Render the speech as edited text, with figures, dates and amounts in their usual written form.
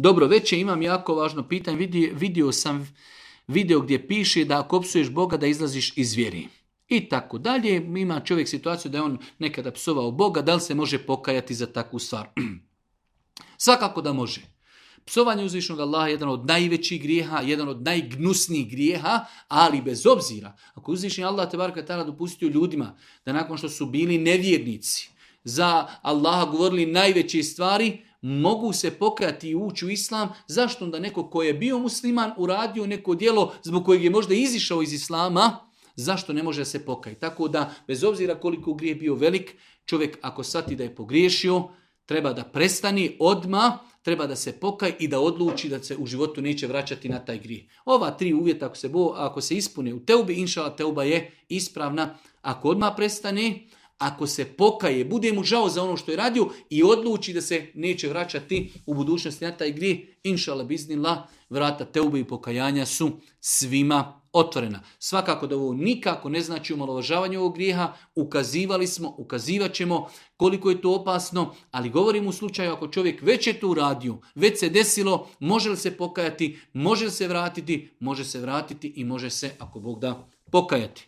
Dobro, već imam jako važno pitanje. Vidio sam video gdje piše da ako psuješ Boga da izlaziš iz vjeri. I tako dalje. Ima čovjek situaciju da je on nekada psovao Boga, da li se može pokajati za takvu stvar? Svakako da može. Psovanje uzvišnog Allaha je jedan od najvećih grijeha, jedan od najgnusnijih grijeha, ali bez obzira. Ako uzvišni Allah tebareke ta'ala dopustio ljudima da nakon što su bili nevjernici, za Allaha govorili najveće stvari, mogu se pokajati i ući u islam. Zašto onda neko ko je bio musliman uradio neko djelo zbog kojeg je možda izišao iz islama, zašto ne može se pokajati? Tako da, bez obzira koliko grijeh bio velik, čovjek ako shvati da je pogriješio, treba da prestani odmah, treba da se pokaje i da odluči da se u životu neće vraćati na taj grijeh. Ova 3 uvjeta ako se ispune u teubi, inšala teuba je ispravna. Ako odmah prestane, ako se pokaje, bude mu žao za ono što je radio i odluči da se neće vraćati u budućnosti na taj grijeh, inšala biznillah, vrata teube i pokajanja su svima otvorena. Svakako da ovo nikako ne znači omalovažavanje ovog grijeha, ukazivali smo, ukazivat ćemo koliko je to opasno, ali govorimo u slučaju ako čovjek već je to uradio, već se desilo, može li se pokajati, može li se vratiti, može se vratiti i može se, ako Bog da, pokajati.